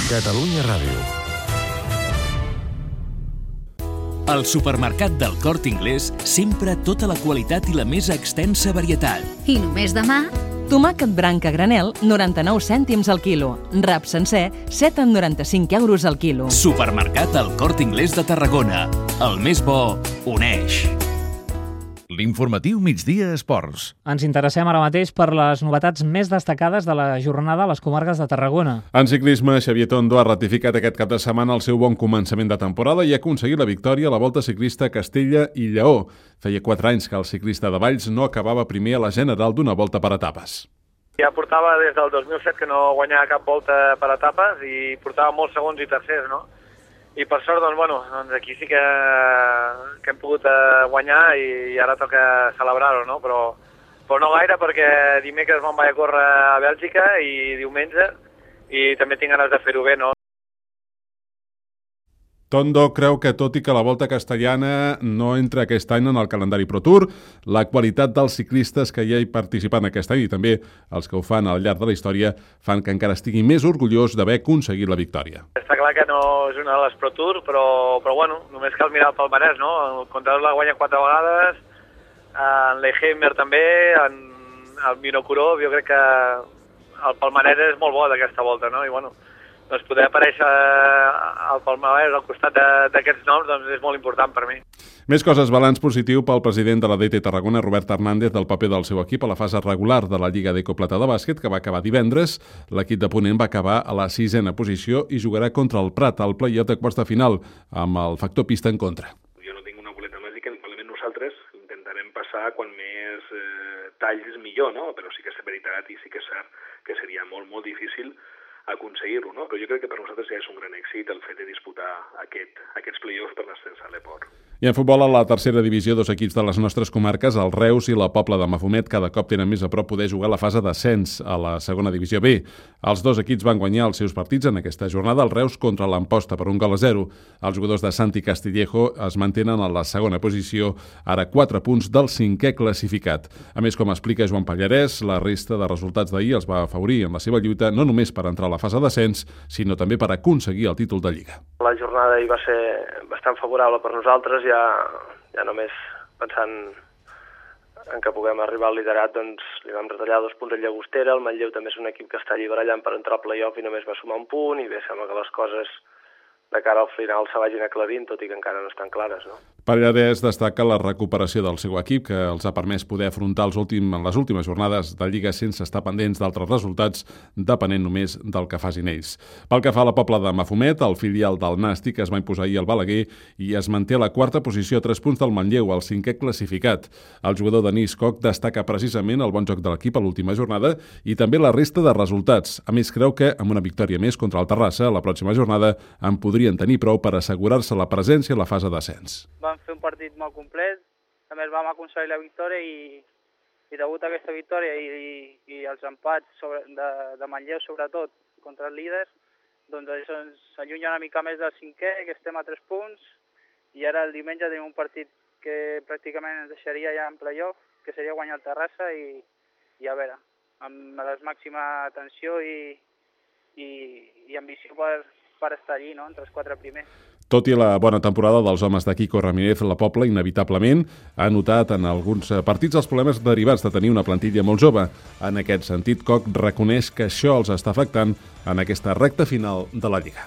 Catalunya Ràdio. Al supermercat del Corte Inglés, sempre tota la qualitat i la més extensa varietat. I només demà... Tomàquet branc a granel, 99 cèntims al quilo. Rap sencer, 7,95 euros al quilo. Supermercat El Corte Inglés de Tarragona. El més bo uneix. L'informatiu Migdia Esports. Ens interessem ara mateix per les novetats més destacades de la jornada a les comarques de Tarragona. En ciclisme, Xavier Tondo ha ratificat aquest cap de setmana el seu bon començament de temporada i ha aconseguit la victòria a la Volta Ciclista a Castella i Lleó. Feia 4 anys que el ciclista de Valls no acabava primer a la general d'una volta per etapes. Ja portava des del 2007 que no guanyava cap volta per etapes i portava molts segons i tercers, no? I per sort, doncs aquí sí que hem pogut guanyar i ara toca celebrar-ho, no? Però no gaire, perquè dimecres me'n vaig a córrer a Bèlgica i diumenge, i també tinc ganes de fer-ho bé, no? Tondo creu que, tot i que la Volta Castellana no entra aquest any en el calendari Pro Tour, la qualitat dels ciclistes que hi participen aquest any i també els que ho fan al llarg de la història fan que encara estigui més orgullós d'haver aconseguit la victòria. Està clar que no és una de les Pro Tour, però només cal mirar el palmarès, no? El Contador la guanya 4 vegades, en Leigheimer també, en el Vinokurov, jo crec que el palmarès és molt bo d'aquesta volta, no? I doncs poder aparèixer al palmarès al costat d'aquests noms doncs és molt important per mi. Més coses, balanç positiu pel president de la DT Tarragona, Robert Hernández, del paper del seu equip a la fase regular de la Lliga d'Ecoplata de bàsquet, que va acabar divendres. L'equip de Ponent va acabar a la 6a posició i jugarà contra el Prat al play-off de quarts de final, amb el factor pista en contra. Jo no tinc una boleta màgica, probablement nosaltres intentarem passar quan més talls millor, no? Però sí que és veritat i sí que és cert que seria molt, molt difícil aconseguir-ho, no? Però jo crec que per nosaltres ja és un gran èxit el fet de disputar aquests play-offs per l'ascens a l'Eport. I en futbol, a la tercera divisió, 2 equips de les nostres comarques, el Reus i la Pobla de Mafumet, cada cop tenen més a prop poder jugar la fase d'ascens a la segona divisió B. Els 2 equips van guanyar els seus partits en aquesta jornada, el Reus contra l'Amposta per 1-0. Els jugadors de Santi Castillejo es mantenen a la segona posició, ara 4 punts del 5è classificat. A més, com explica Joan Pallarès, la resta de resultats d'ahir els va afavorir en la seva lluita, no només per entrar a la fase d'ascens, sinó també per aconseguir el títol de Lliga. La jornada hi va ser bastant favorable per nosaltres, ja només pensant en que puguem arribar al liderat, doncs li vam retallar 2 punts a Llagostera. El Manlleu també és un equip que està alliberallant per entrar al play-off i només va sumar 1 punt, i bé, sembla que les coses de cara al final se vagin aclarint, tot i que encara no estan clares, no? Pallarès destaca la recuperació del seu equip, que els ha permès poder afrontar en les últimes jornades de Lliga sense estar pendents d'altres resultats, depenent només del que facin ells. Pel que fa a la Pobla de Mafumet, el filial del Nàstic es va imposar ahir al Balaguer i es manté a la 4a posició a 3 punts del Manlleu, el 5è classificat. El jugador Denis Koch destaca precisament el bon joc de l'equip a l'última jornada i també la resta de resultats. A més, creu que amb una victòria més contra el Terrassa, la pròxima jornada en podrien tenir prou per assegurar-se la presència a la fase d'ascens. Vam fer un partit molt complet, també vam aconseguir la victòria i degut a aquesta victòria i els empats de Manlleu, sobretot, contra els líders, doncs això ens allunya una mica més del 5è, que estem a 3 punts, i ara el diumenge tenim un partit que pràcticament ens deixaria ja en play-off, que seria guanyar el Terrassa i a veure, amb la màxima atenció i ambició per estar allí, no?, entre els 4 primers. Tot i la bona temporada dels homes de Quico Ramírez, la Pobla inevitablement ha notat en alguns partits els problemes derivats de tenir una plantilla molt jove. En aquest sentit, Koch reconeix que això els està afectant en aquesta recta final de la Lliga.